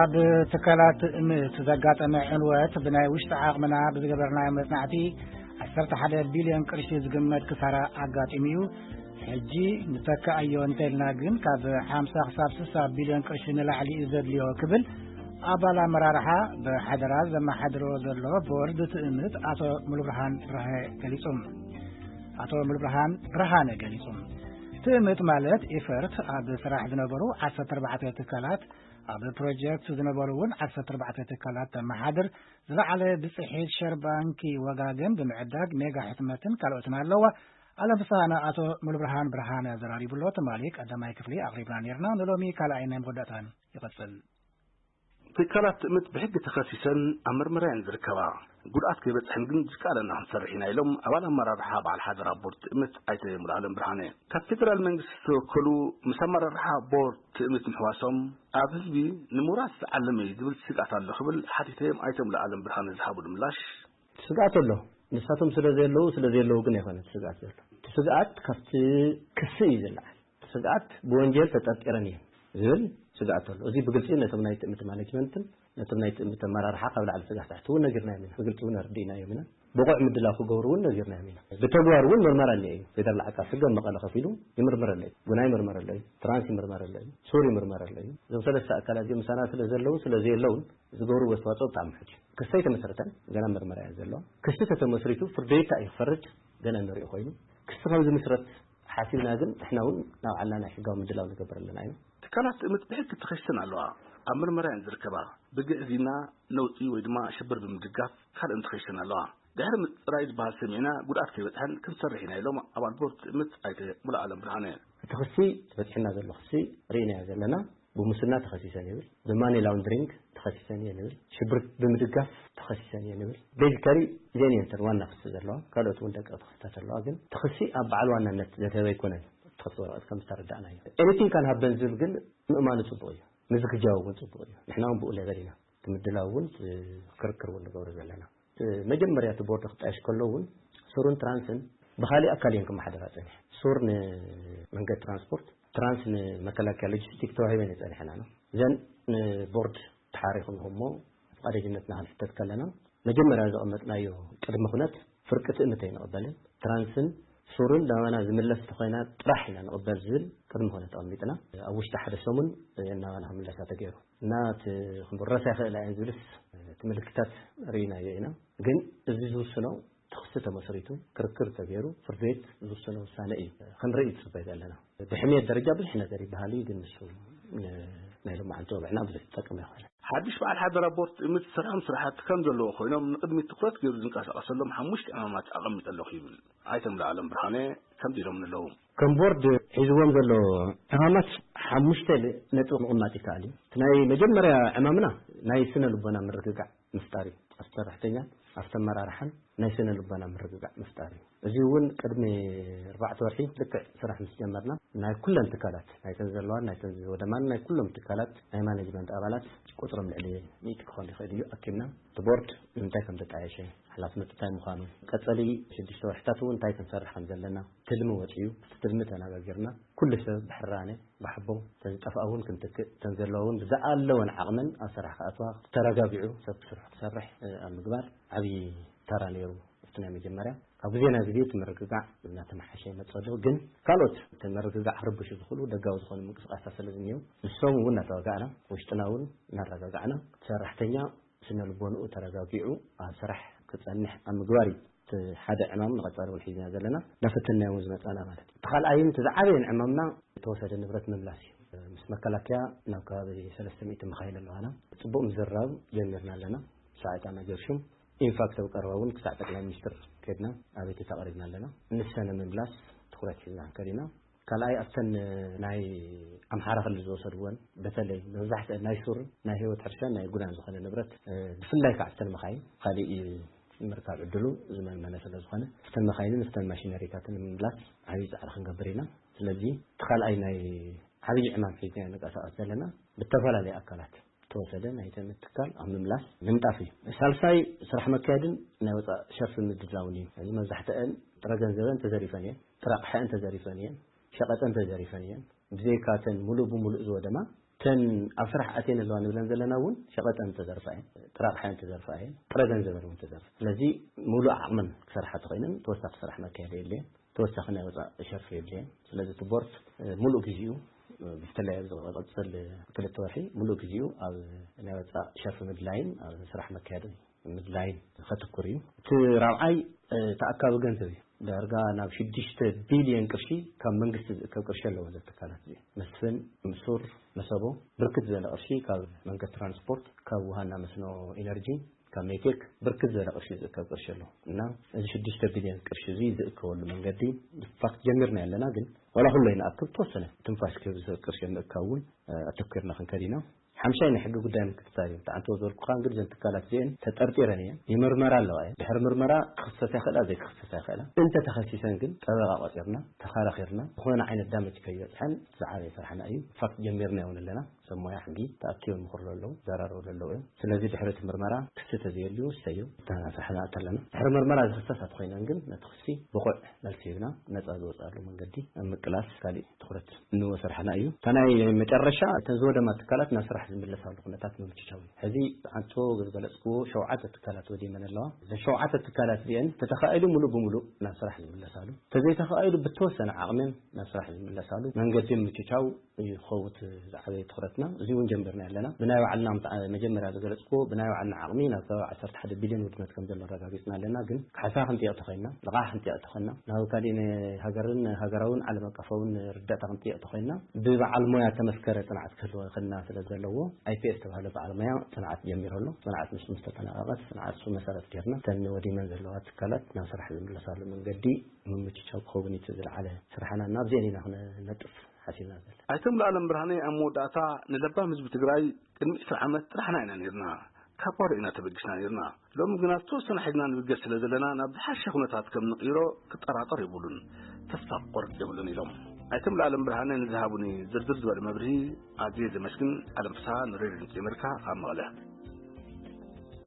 ኣብ ትካላት ትእምት ዘጋጠመ ዕንወት ብናይ ውሽጢ ዓቕምና ብዝገበርናዮ መጽናዕቲ ዓሰርተ ሓደ ቢልዮን ቅርሺ ዝግመት ክሳራ ኣጋጢሙ እዩ። ሕጂ ንተክኣዮ እንተልና ግን ካብ ሓምሳ ክሳብ ስሳ ቢልዮን ቅርሺ ንላዕሊ እዩ ዘድልዮ ክብል ኣባል ኣመራርሓ ብሓደራ ዘመሓድሮ ዘሎ ቦርድ ትእምት ኣቶ ሙሉብርሃን ብርሃ ገሊጹ። ኣቶ ሙሉብርሃን ብርሃነ ገሊጹ። ትእምት ማለት ኢፈርት ኣብ ስራሕ ዝነበሩ ዓሰርተ ኣርባዕተ ትካላት፣ ኣብ ፕሮጀክት ዝነበሩ እውን ዓሰርተ ኣርባዕተ ትካላት ተመሓድር፣ ዝለዓለ ብጽሒት ሸር ባንኪ ወጋገን ብምዕዳግ ሜጋ ሕትመትን ካልኦትን ኣለዋ። ኣለም ፍስሃና ኣቶ ሙሉብርሃን ብርሃነ ኣዘራሪቡሎ። ትማሊ ቀዳማይ ክፍሊ ኣቕሪብና ነርና። ንሎሚ ካልኣይ ናይ መወዳእታን ይቐጽል። ትካላት ትእምት ብሕጊ ተኸሲሰን ኣብ መርመራ እየን ዝርከባ። ጉድኣት ከይበጽሐን ግን ዝከኣለና ክንሰርሕ ኢና ኢሎም ኣባል ኣመራርሓ በዓል ሓደራ ቦርድ ትእምት ኣይተ ሙሉኣለም ብርሃነ። ካብ ፌደራል መንግስቲ ዝተወከሉ ምስ ኣመራርሓ ቦርድ ትእምት ምሕዋሶም ኣብ ህዝቢ ንምውራስ ዝዓለመ እዩ ዝብል ስግኣት ኣሎ ክብል ሓቲተዮም ኣይተ ሙሉኣለም ብርሃነ ዝሃብሉ ምላሽ። ስግኣት ኣሎ። ንሳቶም ስለ ዘለዉ፣ ስለ ዘለዉ ግን ኣይኮነን ስግኣት ዘሎ። እቲ ስግኣት ካብቲ ክሲ እዩ ዝለዓል። እቲ ስግኣት ብወንጀል ተጠርጢረን እየን ዝብል ስግኣት ኣሎ። እዚ ብግልጺ ነቶም ናይ ትእምት ማኔጅመንትን ነቶም ናይ ትእምት ኣመራርሓ ካብ ላዕሊ ስጋዕ ታሕቲ እውን ነጊርናዮም ኢና። ብግልጺ እውን ኣረዲእናዮም ኢና። ብቑዕ ምድላው ክገብሩ እውን ነጊርናዮም ኢና። ብተግባር እውን ምርመራ ኣሎ እዩ። ፌደራል ዓቃብ ሕጊ ኣብ መቐለ ከፊሉ ይምርምር ኣሎ እዩ። ጉና ይምርመር ኣሎ እዩ። ትራንስ ይምርመር ኣሎ እዩ። ሱር ይምርመር ኣሎ እዩ። እዞም ሰለስተ ኣካላት እዚኦም ምሳና ስለ ዘለዉ ስለ ዘየለውን ዝገብርዎ ኣስተዋፅኦ ብጣዕሚ ሕጂ ክሲ ኣይተመስረተን፣ ገና ምርመራ እያ ዘሎ። ክሲ ተተመስሪቱ ፍርዲ ቤት እንታይ እዩ ክፈርድ ገና ንሪኦ ኮይኑ፣ ክሲ ከም ዝምስረት ሓሲብና ግን ንሕና እውን ናብ ዓልና ናይ ሕጋዊ ምድላው ንገብር ኣለና ኢና። ትካላት ትእምት ብሕጊ ተኸሲሰን ኣለዋ። ኣብ ምርመራ እየን ዝርከባ። ብግዕዝይና፣ ነውጺ ወይ ድማ ሽብር ብምድጋፍ ካልእን ተኸሲሰን ኣለዋ። ድሕሪ ምጽራይ ዝበሃል ሰሚዕና ጉድኣት ከይበጽሐን ክንሰርሕ ኢና ኢሎም ኣባል ቦርድ ትእምት ኣይተ ሙሉኣለም ብርሃነ። እቲ ክሲ በጺሕና ዘሎ ክሲ ርኢናዮ ዘለና። ብሙስና ተኸሲሰን ይብል፣ ብማኒ ላውንድሪንግ ተኸሲሰን እየን ይብል፣ ሽብር ብምድጋፍ ተኸሲሰን እየን ይብል። ቤዚካሊ እዚአን እየን እተን ዋና ክሲ ዘለዋ፣ ካልኦት እውን ደቂ ተኸሲታት ኣለዋ። ግን እቲ ክሲ ኣብ በዓል ዋናነት ዘድሀበ ኣይኮነን። እቲ ክሲ ወረቐት ከም ዝተረዳእናዮ ኤኒቲንግ ካን ሃበን ዝብል ግን ምእማኑ ጽቡቕ እዩ፣ ምዝግጃው እውን ጽቡቕ እዩ። ንሕና እውን ብኡ ሌቨል ኢና እቲ ምድላው እውን ክርክር እውን ንገብሮ ዘለና። መጀመርያ እቲ ቦርድ ክጣየሽ ከሎ እውን ሱርን ትራንስን ብኻሊእ ኣካል እየን ክመሓደራ ጸኒሐ። ሱር ንመንገዲ ትራንስፖርት፣ ትራንስ ንመከላከያ ሎጂስቲክ ተዋሂበን እየን ጸኒሐን። ኣነ እዘን ንቦርድ ተሓሪኹም እሞ ፍቓደኝነትና ክንሕተት ከለና መጀመርያ ዘቐመጥናዮ ቅድመ ኩነት ፍርቂ ትእምት ኣይንቕበልን። ትራንስን ሱርን ናባና ዝምለስ እንተኾይና ጥራሕ ኢና ንቕበል ዝብል ቅድመ ኩነት ኣቐሚጥና ኣብ ውሽጢ ሓደ ሰሙን እየን ናባና ክምለሳ ተገይሩ። እና እቲ ክምረሳ ይኽእላ እየን ዝብልስ እቲ ምልክታት ርኢናዮ ኢና። ግን እዚ ዝውስኖ እቲ ክሲ ተመስሪቱ ክርክር ተገይሩ ፍርዲ ቤት ዝውሰኖ ውሳነ እዩ ክንርኢ ትጽበይ ዘለና። ብሕሜት ደረጃ ብዙሕ ነገር ይበሃል እዩ፣ ግን ንሱ ን-፣ ናይ ሎማዓንቲ ወግዕና ብዙሕ ዝጠቅም ኣይኮነን። ሓድሽ በዓል ሓደራ ቦርድ ትእምት ዝሰርሖም ስራሕቲ ከም ዘለዎ ኮይኖም ንቅድሚት ትኩረት ገይሩ ዝንቀሳቀሰሎም ሓሙሽተ ዕማማት ኣቐሚጠ ኣለኹ ይብል ኣይተ ሙሉኣለም ብርሃነ። ከምዚ ኢሎም ኣለዉ። ከም ቦርድ ሒዝዎም ዘሎ ዕማማት ሓሙሽተ ነጥቢ ምቕማጥ ይከኣል እዩ። እቲ ናይ መጀመርያ ዕማምና ናይ ስነ ልቦና ምርግጋዕ ምፍጣር እዩ። ኣብቲ ሰራሕተኛን ኣብቲ ኣመራርሓን ናይ ስነ ልቦና ምርግጋዕ ምፍጣር እዩ። እዚ እውን ቅድሚ ኣርባዕተ ወርሒ ልክዕ ስራሕ ምስ ጀመርና ናይ ኩለን ትካላት፣ ናይተን ዘለዋን ናይተን ዝወደማን ናይ ኩሎም ትካላት ናይ ማኔጅመንት ኣባላት ቁጽሮም ልዕሊ ሚእቲ ክኾን ይኽእል እዩ ኣኪብና። እቲ ቦርድ ንምንታይ ከም ተጣየሸ፣ ሓላፍነቱ እንታይ ምዃኑ፣ ቀጸሊ ሽዱሽተ ወርሕታት እውን እንታይ ክንሰርሕ ከም ዘለና ትልሚ ወጺኡ፣ እቲ ትልሚ ተነጋጊርና ኩሉ ሰብ ብሕራነ ብሓቦ እተን ዝጠፍኣ እውን ክንትክእ፣ እተን ዘለዋ እውን ብዝኣለወን ዓቕመን ኣብ ስራሕ ክኣትዋ፣ ተረጋጊዑ ሰብ ስርሑ ክሰርሕ፣ እ፣ ኣብ ምግባር ዓብዪ ተራ ነይሩ። ኣብቲ ናይ መጀመርያ ካብ ግዜ ናብ ግዜ እቲ ምርግጋዕ እናተመሓሸ ይመጽእ ኣሎ። ግን ካልኦት እቲ ምርግጋዕ ክርብሹ ዝኽእሉ ደጋዊ ዝኾኑ ምንቅስቃሳት ስለ ዝኒአው ንሶም እውን እናተዋጋእና፣ ውሽጥና እውን እናረጋጋዕና፣ እቲ ሰራሕተኛ ስነ ልቦንኡ ተረጋጊዑ ኣብ ስራሕ ክጸንሕ ኣብ ምግባር እዩ። እቲ ሓደ ዕማም ንቐጻሊ እውን ሒዝና ዘለና፣ እናፈተንና እውን ዝመጻና ማለት እዩ። እቲ ካልኣይን እቲ ዝዓበየን ዕማምና ዝተወሰደ ንብረት ምምላስ እዩ። ምስ መከላከያ ናብ ከባቢ ሰለስተ ሚእቲ መኻይን ኣለዋና። ጽቡቕ ምዝርራብ ጀሚርና ኣለና። ሳዕጣና ጀርሹም ኢንፋክት ኣብ ቀረባ እውን ክሳዕ ጠቅላይ ሚኒስትር ከድና ኣቤቱታ ኣቕሪብና ኣለና። ንሰን ምምላስ ትኹረት ሒዝና ክንከድ ኢና። ካልኣይ ኣብተን ናይ ኣምሓራ ክልል ዝወሰድወን በተለይ መብዛሕትአን ናይ ሱር ናይ ህይወት ሕርሻን ናይ ጉዳን ዝኾነ ንብረት፣ እ፣ ብፍላይ ከዓ ኣብተን መኻይን ካሊእ ምርካብ ዕድሉ ዝመንመነ ስለ ዝኾነ ኣብተን መኻይንን ኣብተን ማሽነሪታትን ንምምላስ ዓብዪ ፃዕሪ ክንገብር ኢና። ስለዚ እቲ ካልኣይ ናይ ዓብዪ ዕማም ሒዝና ንንቀሳቐስ ዘለና ብተፈላለየ ኣካላት ተወሰደ ናይ ትእምት ትካል ኣብ ምምላስ ምንጣፍ እዩ። ሳልሳይ ስራሕ መካየድን ናይ ወፃእ ሸርፊ ምድላውን እዩ። እዚ መብዛሕትአን ጥረ ገንዘበን ተዘሪፈን እየን፣ ጥረ ኣቕሐአን ተዘሪፈን እየን፣ ሸቐጠን ተዘሪፈን እየን። ብዘይካተን ሙሉእ ብሙሉእ ዝወደማ እተን ኣብ ስራሕ ኣትየን ኣለዋ ንብለን ዘለና እውን ሸቐጠን ተዘርፋ እየን፣ ጥረ ኣቕሓ እየን ተዘርፋ እየን፣ ጥረ ገንዘበን እውን ተዘርፋ። ስለዚ ሙሉእ ዓቕመን ክሰርሓ ተኾይነን ተወሳኺ ስራሕ መካየዲ የድልየን፣ ተወሳኺ ናይ ወፃእ ሸርፊ የድልየን። ስለዚ እቲ ቦርድ ሙሉእ ግዜኡ ብፍላይ ኣብዚ ዝቐፅል ክልተ ወርሒ ሙሉእ ግዜኡ ኣብ ናይ ወፃእ ሸርፊ ምድላይን ኣብ ስራሕ መካየዲ ምድላይን ከተኩር እዩ። እቲ ራብዓይ ተኣካቢ ገንዘብ እዩ። ዳርጋ ናብ ሽዱሽተ ቢልዮን ቅርሺ ካብ መንግስቲ ዝእከብ ቅርሺ ኣለዎ። እዚ ትካላት እዚ መስፍን፣ ምሱር፣ መሰቦ ብርክት ዝበለ ቅርሺ ካብ መንገዲ ትራንስፖርት፣ ካብ ውሃና መስኖ፣ ኢነርጂ፣ ካብ ሜቴክ ብርክት ዝበለ ቅርሺ ዝእከብ ቅርሺ ኣሎ እና እዚ ሽዱሽተ ቢልዮን ቅርሺ እዚ ዝእከበሉ መንገዲ ፋክት ጀሚርና ኣለና። ግን ዋላ ኩሎ ይንኣክብ ተወሰነ ትንፋሽ ክህብ ዝኽእል ቅርሺ ምእካብ እውን ኣተኩርና ክንከድ ኢና። ሓምሻይ ናይ ሕጊ ጉዳይ ምክትታል እዩ። ተዓንቶ ዝበልኩኻ እንግዲህ ዘን ትካላት እዚአን ተጠርጢረን እየን፣ ይምርመራ ኣለዋ እየን። ድሕሪ ምርመራ ክኽሰሳ ይኽእላ ዘይክኽሰሳ ይኽእላ። እንተ ተኸሲሰን ግን ጠበቃ ቆፂርና ተኸራኺርና ዝኾነ ዓይነት ዳመጅ ከይበፅሐን ዝዓበየ ስራሕና እዩ። ፋክት ጀሚርና እውን ኣለና። ሰብ ሞያ ሕጊ ተኣኪቦም ይምኽርሉ ኣለዉ፣ ይዘራረብሉ ኣለዉ እዮም። ስለዚ ድሕሪ እቲ ምርመራ ክሲ ተዘየልዩ እሰዩ እታ ስራሕና ኣተለና። ድሕሪ ምርመራ ዝኽሰሳ ተኾይነን ግን ነቲ ክሲ ብቑዕ መልሲ ሂብና ነፃ ዝወፅኣሉ መንገዲ ኣብ ምቅላስ ካሊእ ትኹረት እንዎ ስራሕና እዩ። እታ ናይ መጨረሻ እተን ዝወደማ ትካላት ናብ ስራሕ ዝምለሳሉ ኩነታት ምምችቻው እዩ። ሕዚ ኣንቶ ዝገለፅክዎ ሸውዓተ ትካላት ወዲመን ኣለዋ። እዘን ሸውዓተ ትካላት እዚአን ተተኻኢሉ ሙሉእ ብሙሉእ ናብ ስራሕ ዝምለሳሉ፣ ተዘይተኻኢሉ ብተወሰነ ዓቕመን ናብ ስራሕ ዝምለሳሉ መንገዲ ምምችቻው እዩ ክኸውን ዝዓበየ ትኹረትና። እዚ እውን ጀምርና ኣለና። ብናይ ባዕልና ምትዓ-፣ መጀመርያ ዝገለፅክዎ ብናይ ባዕልና ዓቕሚ ናብ ከባቢ ዓሰርተ ሓደ ቢልዮን ውድመት ከም ዘሎ ኣረጋጊፅና ኣለና። ግን ካሕሳ ክንጥየቕ ተኾይንና፣ ልቓሕ ክንጥየቕ ተኾይንና፣ ናብ ካሊእ ሃገርን ሃገራውን ዓለም ኣቀፋውን ርዳእታ ክንጥየቕ ተኾይንና ብበዓል ሞያ ተመስከረ ፅንዓት ክህልዎ ይኽእልና ስለ ዘለዎ ኣይፒኤስ ዝተባህለ በዓል ሞያ ፅንዓት ጀሚሩ ኣሎ። ፅንዓት ንሱ ምስ ተጠናቐቐ እቲ ፅንዓት ንሱ መሰረት ጌርና እተን ወዲመን ዘለዋ ትካላት ናብ ስራሕ ዝምለሳሉ መንገዲ ምምችቻው ክኸውን እዩ እቲ ዝለዓለ ስራሕና። ናብዚአን ኢና ክነጥፍ ሓሲብና ዘለና። ኣይተ ሙሉኣለም ብርሃነ ኣብ መወዳእታ ንለባም ህዝቢ ትግራይ ቅድሚ ዕስራ ዓመት ጥራሕና ኢና ነይርና፣ ካብ ባዶ ኢና ተበጊስና ነይርና። ሎሚ ግና ዝተወሰነ ሓይልና ንብገስ ስለ ዘለና ናብ ዝሓሸ ኩነታት ከም ንቕይሮ ክጠራጠር የብሉን። ተስፋ ክቆርጽ የብሉን ኢሎም ኣይተ ሙሉኣለም ብርሃነ ንዝሃቡኒ ዝርዝር ዝበለ መብርሂ ኣዝየ ዘመስግን። ኣለም ፍስሃ ንሬድዮ ድምፂ ኣሜሪካ ካብ መቐለ።